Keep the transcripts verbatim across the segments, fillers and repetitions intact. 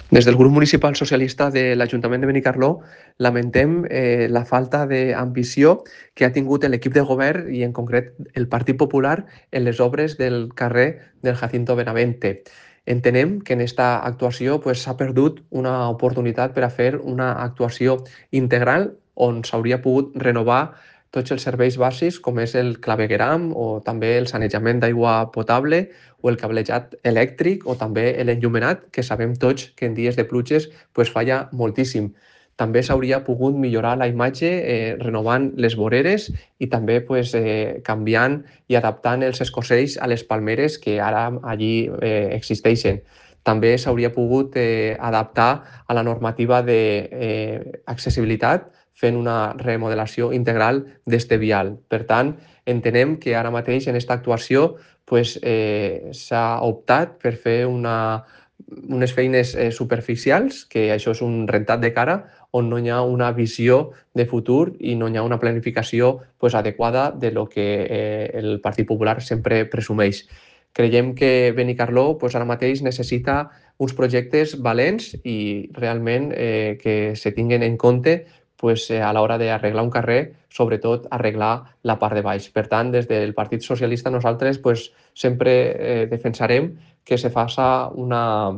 Des del grup municipal socialista de l'Ajuntament de Benicarló lamentem eh, la falta d'ambició que ha tingut l'equip de govern i en concret el Partit Popular en les obres del carrer del Jacinto Benavente. Entenem que en aquesta actuació pues, s'ha perdut una oportunitat per a fer una actuació integral on s'hauria pogut renovar tots els serveis bàsics com és el clavegueram o també el sanejament d'aigua potable o el cablejat elèctric o també l'enllumenat, que sabem tots que en dies de pluges pues, falla moltíssim. També s'hauria pogut millorar la imatge eh, renovant les voreres i també pues, eh, canviant i adaptant els escocells a les palmeres que ara allí eh, existeixen. També s'hauria pogut eh, adaptar a la normativa d'accessibilitat eh, fent una remodelació integral d'este vial. Per tant, entenem que ara mateix en aquesta actuació pues, eh, s'ha optat per fer una, unes feines eh, superficials, que això és un rentat de cara, on no hi ha una visió de futur i no hi ha una planificació pues, adequada de lo que eh, el Partit Popular sempre presumeix. Creiem que Benicarló pues, ara mateix necessita uns projectes valents i realment eh, que se tinguen en compte pues, eh, a l'hora d'arreglar un carrer, sobretot arreglar la part de baix. Per tant, des del Partit Socialista nosaltres pues, sempre eh, defensarem que se faça una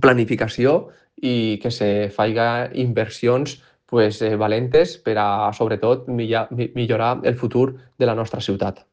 planificació i que se faiga inversions pues, eh, valentes per a, sobretot, millorar el futur de la nostra ciutat.